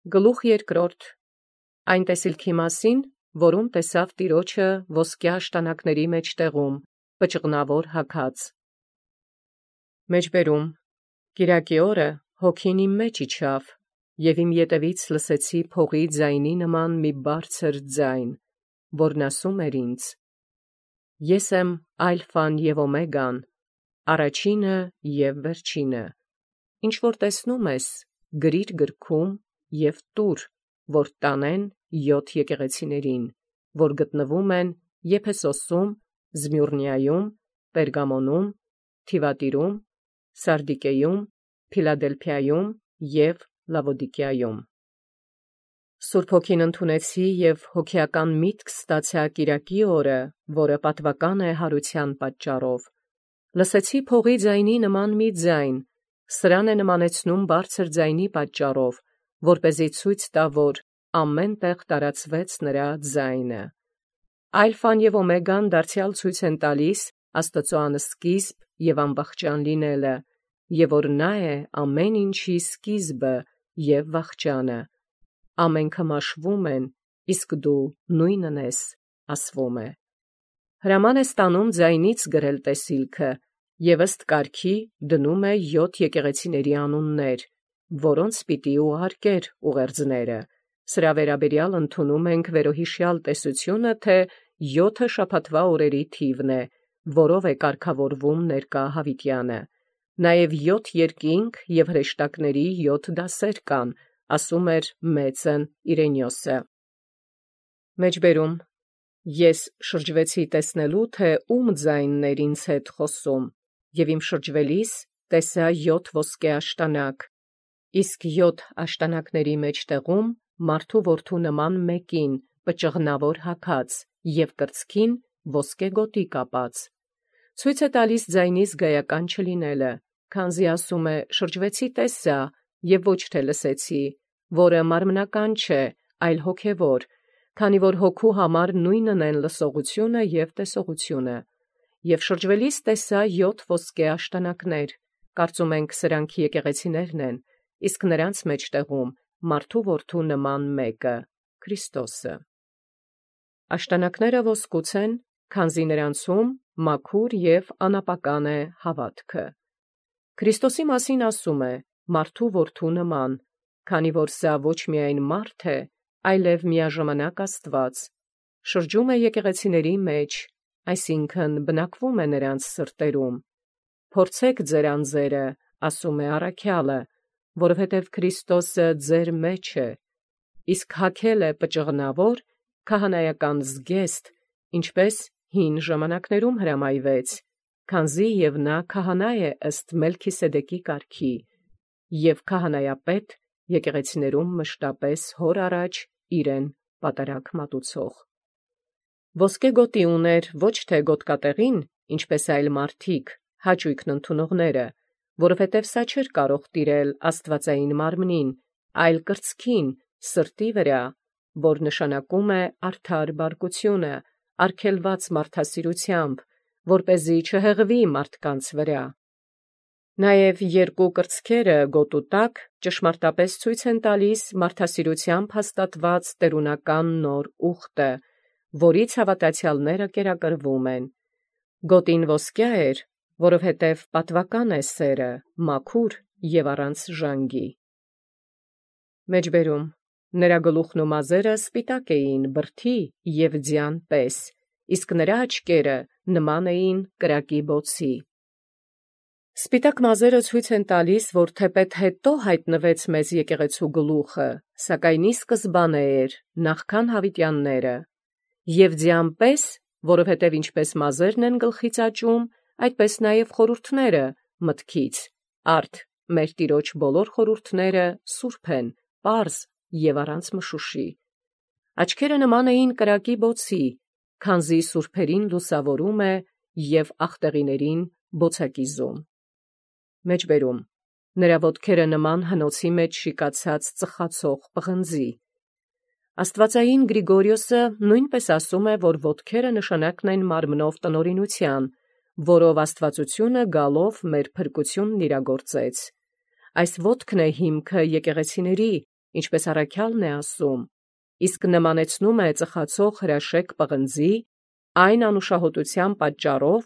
Գլուխ երկրորդ. Այն տեսիլքի մասին, որում տեսավ տիրոջը ոսկյա աշտանակների մեջտեղում, պճղնավոր հագած։ Մեջբերում. Կիրակի օրը հոգին իմ մեջ իջավ, և իմ ետևից լսեցի փողի ձայնի նման մի բարձր ձայն, որն ասում էր ինձ. Ես եմ Ալֆան և Օմեգան, առաջինը և վերջինը. ինչ որ տեսնում ես, գրիր գրքում և տուր, որ տանեն 7 եկեղեցիներին, որ գտնվում են Եփեսոսում, Զմյուրնիայում, Պերգամոնում, Թիվատիրում, Սարդիկեում, Փիլադելփիայում և Լավոդիկիայում։ Սուրբ Հոգին ընդունեցի և հոգեական միտք ստացա կիրակի օրը, որը պատվական է հարության պատճառով։ Լսեցի փողի ձայնի նման մի ձայն, սրան է նմանեցնում բարձր ձայնի պատճառով, որպեսզի ցույց տա, որ ամեն տեղ տարածվեց նրա ձայնը։ Ալֆան և Օմեգան դարձյալ ցույց են տալիս Աստծո անսկիզբ և անվախճան լինելը, և որ նա է ամեն ինչի սկիզբը և վախճանը։ Ամենքը մաշվում են, իսկ դու նույնն ես, ասվում է։ Հրաման է ստանում ձայնից գրել տեսիլքը, և ըստ կարգի դնում է 7 եկեղեցիների անուններ, որոնց պիտի ուղարկեր ուղերձները։ Սրա վերաբերյալ ընդունում ենք վերոհիշյալ տեսությունը, թե 7 շաբաթվա օրերի թիվն է, որով է կարգավորվում ներկա հավիտյանը։ Նաև 7 երկինք և հրեշտակների 7 դասեր կան, ասում էր մեծն Իրենիոսը։ Մեջբերում. Ես շրջվեցի տեսնելու, թե ում ձայնն էր ինձ հետ խոսում, և իմ շրջվելիս տեսա 7 ոսկե աշտանակ, իսկ 7 աշտանակների մեջտեղում մարդու որդու նման մեկին, պճղնավոր հագած, և կրծքին ոսկե գոտի կապած։ Ցույց է տալիս ձայնի զգայական չլինելը, քանզի ասում է շրջվեցի տեսա, և ոչ թե լսեցի, որը մարմնական չէ, այլ հոգևոր, քանի որ հոգու համար նույնն են լսողությունը և տեսողությունը։ Եվ շրջվելիս տեսա 7 ոսկե աշտանակներ, կարծում ենք սրանք եկեղեցիներն են, իսկ նրանց մեջտեղում մարդու որդու նման մեկը, Քրիստոսը։ Աշտանակները ոսկուց են, քանզի նրանցում մաքուր և անապական է հավատքը։ Քրիստոսի մասին ասում է մարդու որդու նման, քանի որ սա ոչ միայն մարդ է, այլև միաժամանակ Աստված, շրջում է եկեղեցիների մեջ, այսինքն բնակվում է նրանց սրտերում։ Փորձեք ձեր անձերը, ասում է առաքյալը, որովհետև Քրիստոսը ձեր մեջ է, իսկ հագել է պճղնավոր քահանայական զգեստ, ինչպես հին ժամանակներում հրամայվեց, քանզի և նա քահանա է ըստ Մելքիսեդեկի կարգի, և քահանայապետ եկեղեցիներում մշտապես հոր առաջ իրեն պատարագ մատուցող։ Ոսկե գոտի ուներ ոչ թե գոտկատեղին, ինչպես այլ մարդիկ, հաճույքն ընդունողները, որովհետև սա չէր կարող տիրել աստվածային մարմնին, այլ կրծքին, սրտի վրա, որ նշանակում է արդար բարկությունը, արգելված մարդասիրությամբ, որպեսզի չհեղվի մարդկանց վրա։ Նաև երկու կրծքերը գոտու տակ ճշմարտապես ցույց են տալիս մարդասիրությամբ հաստատված տերունական նոր ուխտը, որից հավատացյալները կերակրվում են։ Գոտին ոսկյա էր, որովհետև պատվական է սերը, մաքուր և առանց ժանգի։ Մեջբերում. Նրա գլուխն ու մազերը սպիտակ էին բրդի և ձյան պես, իսկ նրա աչքերը նման էին կրակի բոցի։ Սպիտակ մազերը ցույց են տալիս, որ թեպետ հետո հայտնվեց մեզ եկեղեցու գլուխը, սակայն ի սկզբանե էր, նախքան հավիտյանները, և ձյան պես, որովհետև ինչպես մազերն են գլխից աճում, այդպես նաև խորհուրդները մտքից, արդ մեր Տիրոջ բոլոր խորհուրդները սուրբ են, պարզ և առանց մշուշի։ Աչքերը նման էին կրակի բոցի, քանզի սուրբերին լուսավորում է և աղտեղիներին բոցակիզում։ Մեջբերում. նրա ոտքերը նման հնոցի մեջ շիկացած ծխացող պղնձի։ Աստվածային Գրիգորիոսը նույնպես ասում է, որ ոտքերը նշանակն են մարմնով տնօրինության, որով աստվածությունը գալով մեր փրկությունն իրագործեց։ Այս ոտքն է հիմքը եկեղեցիների, ինչպես առաքյալն է ասում, իսկ նմանեցնում է ծխացող հրաշեկ պղնձի, այն անուշահոտության պատճառով,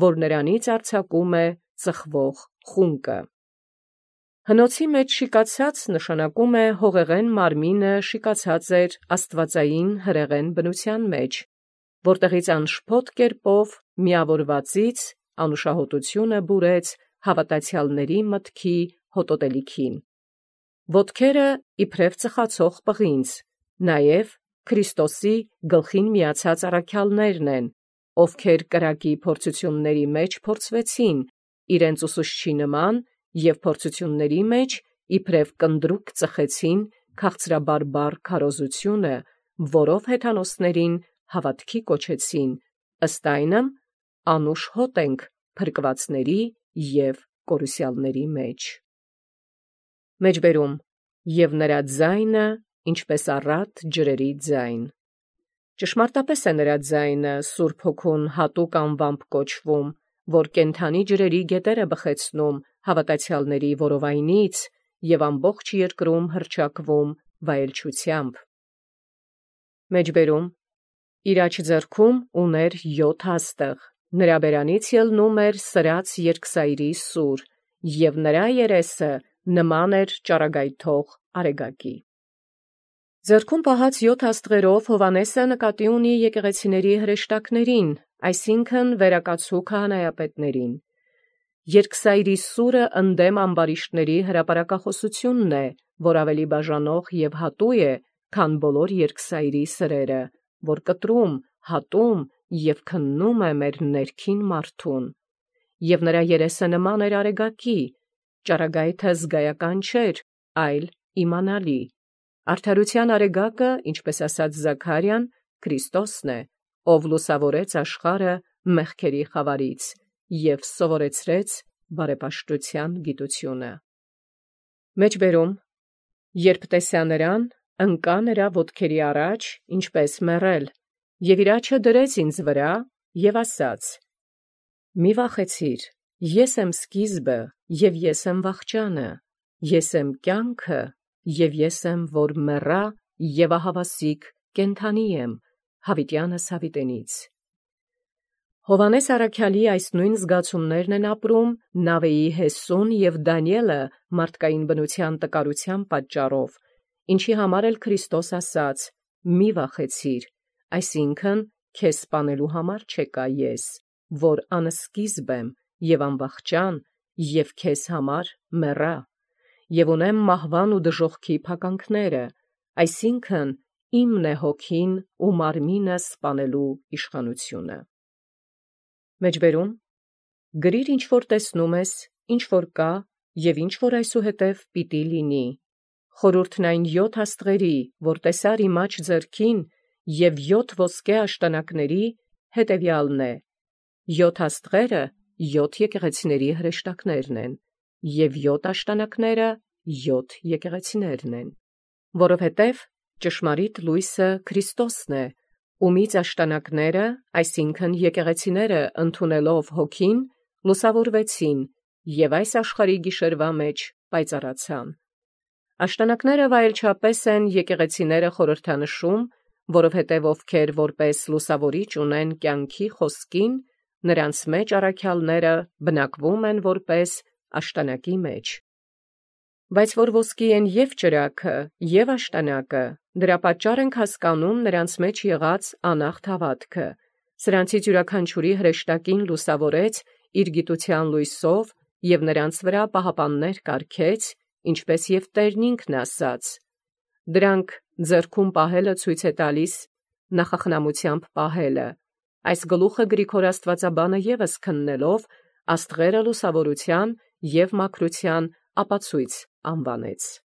որ նրանից արձակում է ծխվող խունկը։ Հնոցի մեջ շիկացած նշանակում է հողեղեն մարմինը շիկացած էր աստվածային հրեղեն բնության մեջ, որտեղից անշփոթ կերպով միավորվածից անուշահոտությունը բուրեց հավատացյալների մտքի հոտոտելիքին։ Ոտքերը իբրև ծխացող պղինձ, նաև Քրիստոսի գլխին միացած առաքյալներն են, ովքեր կրակի փորձությունների մեջ փորձվեցին, իրենց ուսուցչի նման, և փորձությունների մեջ իբրև կնդրուկ ծխեցին քաղցրաբարբառ քարոզությունը, որով հեթանոսներին հավատքի կոչեցին, ըստ այնմ անուշ հոտ ենք փրկվածների և կորուսյալների մեջ։ Մեջբերում և նրա ձայնը, ինչպես առատ ջրերի ձայն։ Ճշմարտապես է նրա ձայնը Սուրբ Հոգուն հատուկ անվամբ կոչվում, որ կենդանի ջրերի գետերը բխեցնում հավատացյալների որովայնից և ամբողջ երկրում հռչակվում վայելչությամբ։ Մեջբերում իր աջ ձեռքում ուներ 7 հաստղ, նրա բերանից ելնում էր սրած երկսայրի սուր, և նրա երեսը նման էր ճառագայթող արեգակի։ Ձեռքում պահած 7 աստղերով Հովհաննեսը նկատի ունի եկեղեցիների հրեշտակներին, այսինքն վերակացու քահանայապետներին։ Երկսայրի սուրը ընդդեմ ամբարիշտների հրապարակախոսությունն է, որ ավելի բաժանող և հատու է, քան բոլոր երկսայրի սրերը, որ կտրում, հատում և քննում է մեր ներքին մարդուն։ Եվ նրա երեսը նման էր արեգակի, ճառագայթը զգայական չէր, այլ իմանալի։ Արդարության արեգակը, ինչպես ասաց Զաքարիան, Քրիստոսն է, ով լուսավորեց աշխարհը մեղքերի խավարից և սովորեցրեց բարեպաշտության գիտությունը։ Մեջբերում երբ տեսա նրան, ընկա նրա ոտքերի առաջ, ինչպես մեռել, և իր աջը դրեց ինձ վրա և ասաց. «Մի վախեցիր, ես եմ սկիզբը և ես եմ վախճանը, ես եմ կյանքը և ես եմ, որ մեռա և ահավասիկ կենդանի եմ, հավիտյանս հավիտենից»։ Հովհաննես առաքյալի այս նույն զգացումներն են ապրում Նավեի Հեսուն և Դանիէլը մարդկային բնության տկարության պատճառով, ինչի համար էլ Քրիստոս ասաց. «Մի վախեցիր», այսինքն քեզ սպանելու համար չեկա ես, որ անսկիզբ եմ և անվախճան և քեզ համար մեռա, և ունեմ մահվան ու դժոխքի փականքները, այսինքն իմն է հոգին ու մարմինը սպանելու իշխանությունը։ Մեջբերում գրիր ինչ որ տեսնում ես, ինչ որ կա և ինչ որ այսուհետև պիտի լինի։ Խորհուրդն այն 7 աստղերի, որ տեսար իմ աջ ձեռքին, և 7 ոսկե աշտանակների հետևյալն է. 7 աստղերը 7 եկեղեցիների հրեշտակներն են, և 7 աշտանակները 7 եկեղեցիներն են, որովհետև ճշմարիտ լույսը Քրիստոսն է, ումից աշտանակները, այսինքն եկեղեցիները ընդունելով հոգին, լուսավորվեցին և այս աշխարհի գիշերվա մեջ պայծառացան։ Աշտանակները վայելչապես են եկեղեցիները խորհրդանշում, որովհետև ովքեր որպես լուսավորիչ ունեն կյանքի խոսքին, նրանց մեջ առաքյալները բնակվում են որպես աշտանակի մեջ։ Բայց որ ոսկի են և ճրագը, և աշտանակը, դրա պատճառ ենք հասկանում նրանց մեջ եղած անախտ հավատքը։ Սրանցից յուրաքանչյուրի հրեշտակին լուսավորեց իր գիտության լույսով և նրանց վրա պահապաններ կարգեց, ինչպես և Տերն ինքն ասաց. «Դրանք ձեռքում պահելը ցույց է տալիս նախախնամությամբ պահելը»։ Այս գլուխը Գրիգոր աստվածաբանը ևս քննելով աստղերը լուսավորության և մաքրության ապացույց անվանեց։